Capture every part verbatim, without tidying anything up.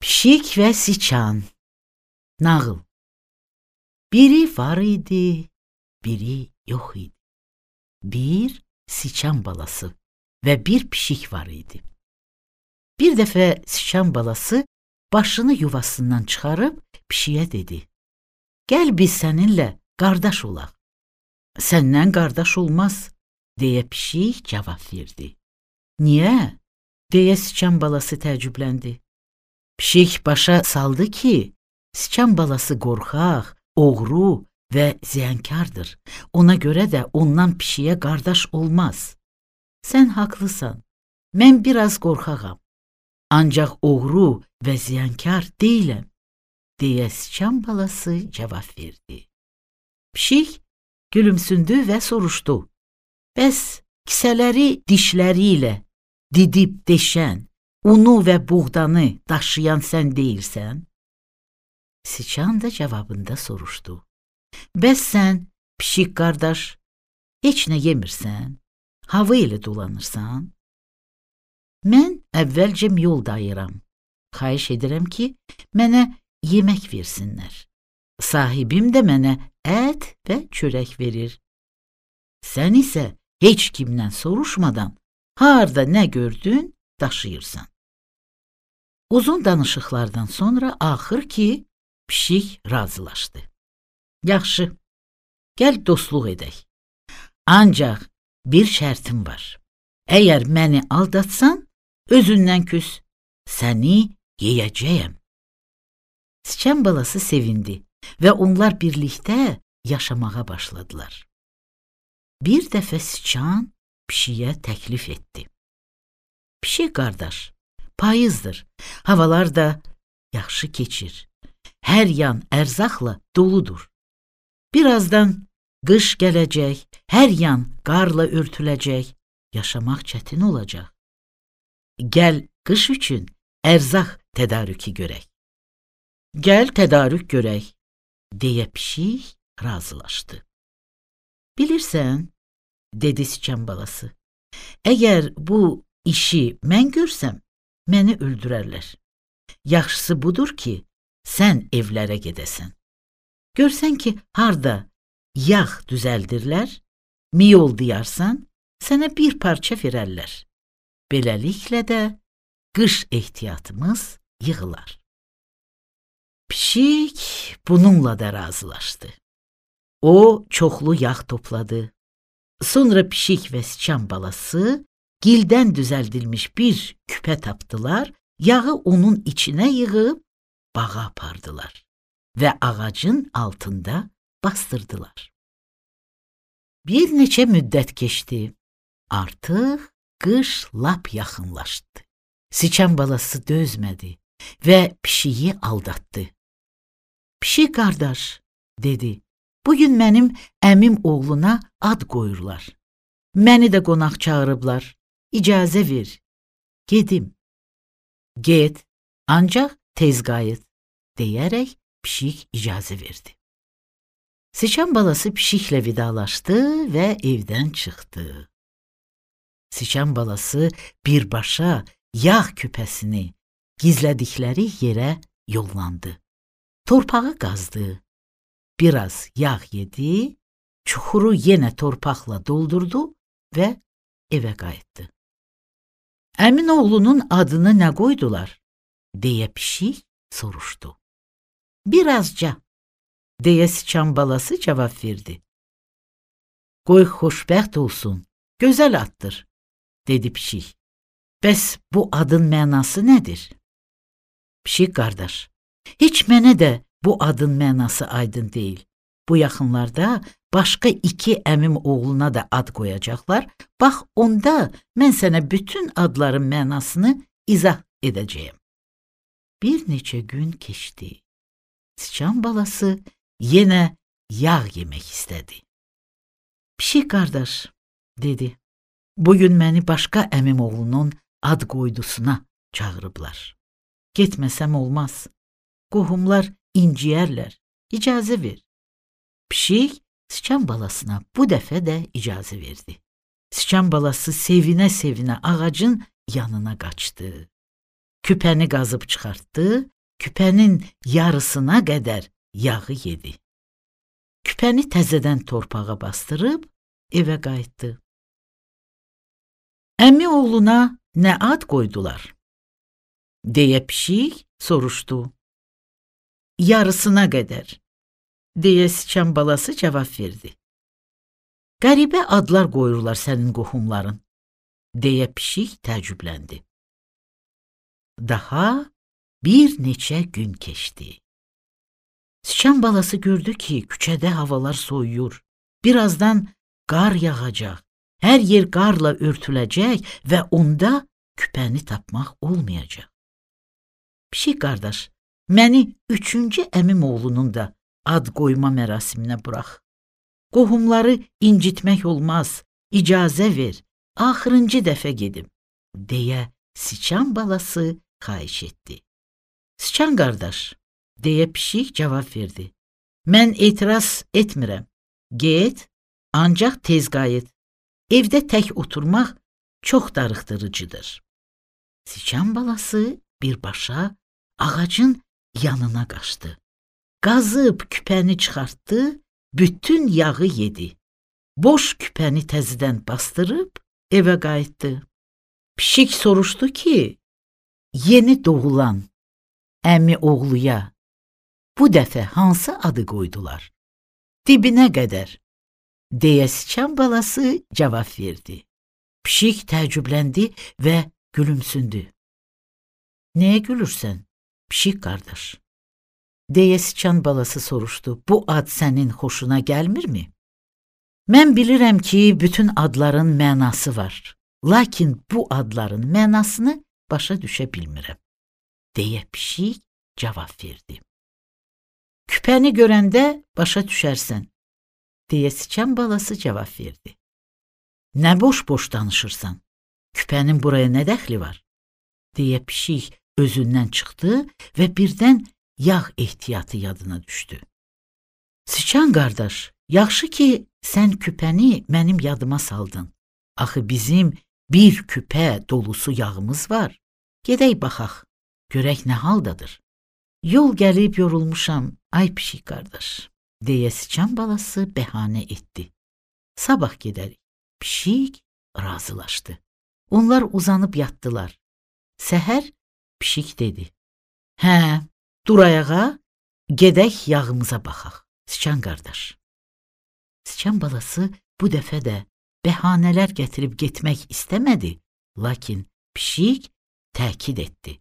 Pişik və siçan. Nağıl. Biri var idi, biri yox idi. Bir siçan balası və bir pişik var idi. Bir dəfə siçan balası başını yuvasından çıxarıb pişiyə dedi: "Gəl biz səninlə qardaş olaq." "Səndən qardaş olmaz," deyə pişik cavab verdi. "Niyə?" deyə siçan balası təəccübləndi. Pişik başa saldı ki, siçan balası qorxaq, oğru və ziyankardır. Ona görə də ondan pişiyə qardaş olmaz. "Sən haqlısan, mən biraz qorxağam. Ancaq oğru və ziyankar deyiləm," deyə siçan balası cavab verdi. Pişik gülümsündü və soruşdu: "Bəs kisələri dişləri ilə didib deşən, unu və buğdanı daşıyan sən deyilsən?" Siçan da cavabında soruşdu: "Bəs sən, pişik qardaş, heç nə yemirsən? Hava ilə dolanırsan?" "Mən əvvəlcə yol dayıram. Xahiş edirəm ki, mənə yemək versinlər. Sahibim də mənə ət və çörək verir. Sən isə heç kimdən soruşmadan harda nə gördün, daşıyırsan." Uzun danışıqlardan sonra axır ki, pişik razılaşdı. "Yaxşı, gəl dostluq edək. Ancaq bir şərtim var. Əgər məni aldatsan, özündən küs, səni yeyəcəyəm." Siçan balası sevindi və onlar birlikdə yaşamağa başladılar. Bir dəfə siçan pişiyə təklif etdi: "Pişik qardaş, payızdır, havalar da yaxşı keçir. Hər yan ərzaqla doludur. Birazdan qış gələcək, hər yan qarla örtüləcək, yaşamaq çətin olacaq. Gəl qış üçün ərzaq tədarükü görək." "Gəl tədarük görək," deyə pişik razılaşdı. "Bilirsən," dedi siçan balası, "əgər bu işi mən görsəm, məni öldürərlər. Yaxşısı budur ki, sən evlərə gedəsən. Görsən ki, harda yağ düzəldirlər, miyol diyarsan, sənə bir parça verərlər. Beləliklə də qış ehtiyatımız yığılar." Pişik bununla da razılaşdı. O çoxlu yağ topladı. Sonra pişik və siçan balası gildən düzəldilmiş bir küpə tapdılar, yağı onun içinə yığıb bağa apardılar və ağacın altında bastırdılar. Bir neçə müddət keçdi. Artıq qış lap yaxınlaşdı. Siçan balası dözmədi və pişiyi aldatdı. "Pişik qardaş," dedi, "bugün mənim əmim oğluna ad qoyurlar. Məni də qonaq çağırıblar. İcazə ver, gedim." "Get, ancaq tez qayıt," deyərək pişik icazə verdi. Siçan balası pişiklə vidalaşdı və evdən çıxdı. Siçan balası birbaşa yağ küpəsini gizlədikləri yerə yollandı. Torpağı qazdı. Biraz yağ yedi, çuxuru yenə torpaqla doldurdu və evə qayıtdı. "Əmin oğlunun adını nə qoydular?" deyə pişik soruşdu. "Birazca," deyə siçan balası cavab verdi. "Qoy xoşbəxt olsun, gözəl addır," dedi pişik. "Bəs bu adın mənası nədir?" "Pişik qardaş, heç mənə də bu adın mənası aydın deyil. Bu yaxınlarda başqa iki əmim oğluna da ad qoyacaqlar. Bax, onda mən sənə bütün adların mənasını izah edəcəyəm." Bir neçə gün keçdi. Siçan balası yenə yağ yemək istədi. "Pişik qardaş," dedi, "bugün məni başqa əmim oğlunun ad qoydusuna çağırıblar. Getməsəm olmaz. Qohumlar inciyərlər. İcazə ver." Pişik siçan balasına bu dəfə də icazə verdi. Siçan balası sevinə-sevinə ağacın yanına qaçdı. Küpəni qazıb çıxartdı küpənin yarısına qədər yağı yedi. Küpəni təzədən torpağa bastırıb evə qayıtdı. Əmi oğluna nə ad qoydular? Deyə pişik soruşdu. Yarısına qədər, deyə siçan balası cavab verdi. Qəribə adlar qoyurlar sənin qohumların, deyə pişik təəccübləndi. Daha bir neçə gün keçdi. Siçan balası gördü ki, küçədə havalar soyuyur. Birazdan qar yağacaq, hər yer qarla örtüləcək və onda küpəni tapmaq olmayacaq. Pişik qardaş, məni üçüncü əmim oğlunun da ad qoyma mərasiminə burax. Qohumları incitmək olmaz, icazə ver, axırıncı dəfə gedim, deyə siçan balası xahiş etdi. Siçan qardaş, deyə pişik cavab verdi. Mən etiraz etmirəm. Get, ancaq tez qayıt. Evdə tək oturmaq çox darıxdırıcıdır. Siçan balası birbaşa ağacın yanına qaçdı. Qazıb küpəni çıxartdı, bütün yağı yedi. Boş küpəni təzədən bastırıb evə qayıtdı. Pişik soruşdu ki, yeni doğulan əmi oğluya bu dəfə hansı adı qoydular? Dibinə qədər, deyə siçan balası cavab verdi. Pişik təəccübləndi və gülümsündü. Nəyə gülürsən, pişik qardaş? Deyə siçan balası soruşdu. Bu ad sənin xoşuna gəlmirmi? Mən bilirəm ki, bütün adların mənası var. Lakin bu adların mənasını başa düşə bilmirəm, deyə pişik cavab verdi. Küpəni görəndə başa düşərsən, deyə siçan balası cavab verdi. Nə boş-boş danışırsan? Küpənin buraya nə dəxli var? Deyə pişik özündən çıxdı və birdən yağ ehtiyatı yadına düşdü. Siçan qardaş, yaxşı ki, sən küpəni mənim yadıma saldın. Axı bizim bir küpə dolusu yağımız var. Gedək baxaq, görək nə haldadır. Yol gəlib yorulmuşam, ay pişik qardaş, deyə siçan balası bəhanə etdi. Sabah gedərik. Pişik razılaşdı. Onlar uzanıb yatdılar. Səhər pişik dedi. Hə, dur ayağa, gedək yağımıza baxaq, siçan qardaş. Siçan balası bu dəfə də bəhanələr gətirib getmək istəmədi, lakin pişik təkid etdi.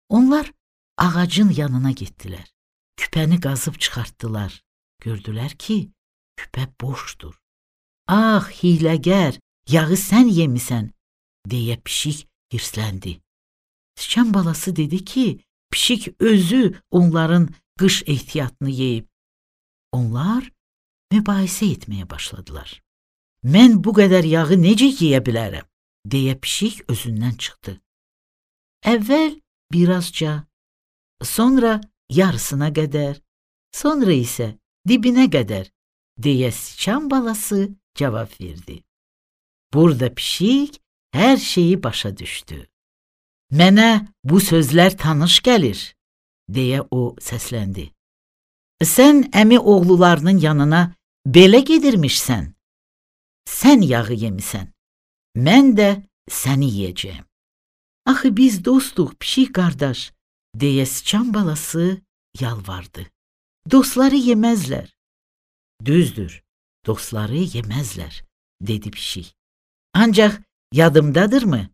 Onlar ağacın yanına getdilər. Küpəni qazıb çıxartdılar. Gördülər ki, küpə boşdur. Ah, hiləgər, yağı sən yemisən, deyə pişik hirsləndi. Siçan balası dedi ki, pişik özü onların qış ehtiyatını yeyib. Onlar mübahisə etməyə başladılar. Mən bu qədər yağı necə yeyə bilərəm, deyə pişik özündən çıxdı. Əvvəl birazca, sonra yarısına qədər, sonra isə dibinə qədər, deyə siçan balası cavab verdi. Burada pişik hər şeyi başa düşdü. Mənə bu sözlər tanış gəlir, deyə o səsləndi. Sən əmi oğlularının yanına belə gedirmişsən, sən yağı yemisən, mən də səni yeyəcəyəm. Axı biz dostuq, pişik qardaş, deyə siçan balası yalvardı. Dostları yeməzlər. Düzdür, dostları yeməzlər, dedi pişik. Ancaq yadımdadırmı?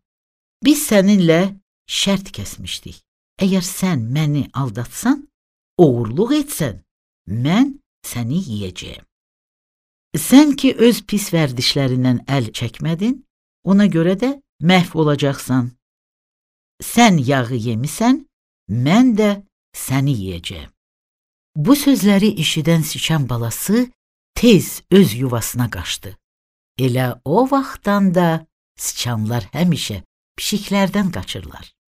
Biz səninlə şərt kəsmişdik. Əgər sən məni aldatsan, oğurluq etsən, mən səni yeyəcəyəm. Sən ki, öz pis vərdişlərindən əl çəkmədin, ona görə də məhv olacaqsan. Sən yağı yemisən, mən də səni yeyəcəyəm. Bu sözləri eşidən siçan balası tez öz yuvasına qaçdı. Elə o vaxtdan da siçanlar həmişə pişiklərdən qaçırlar.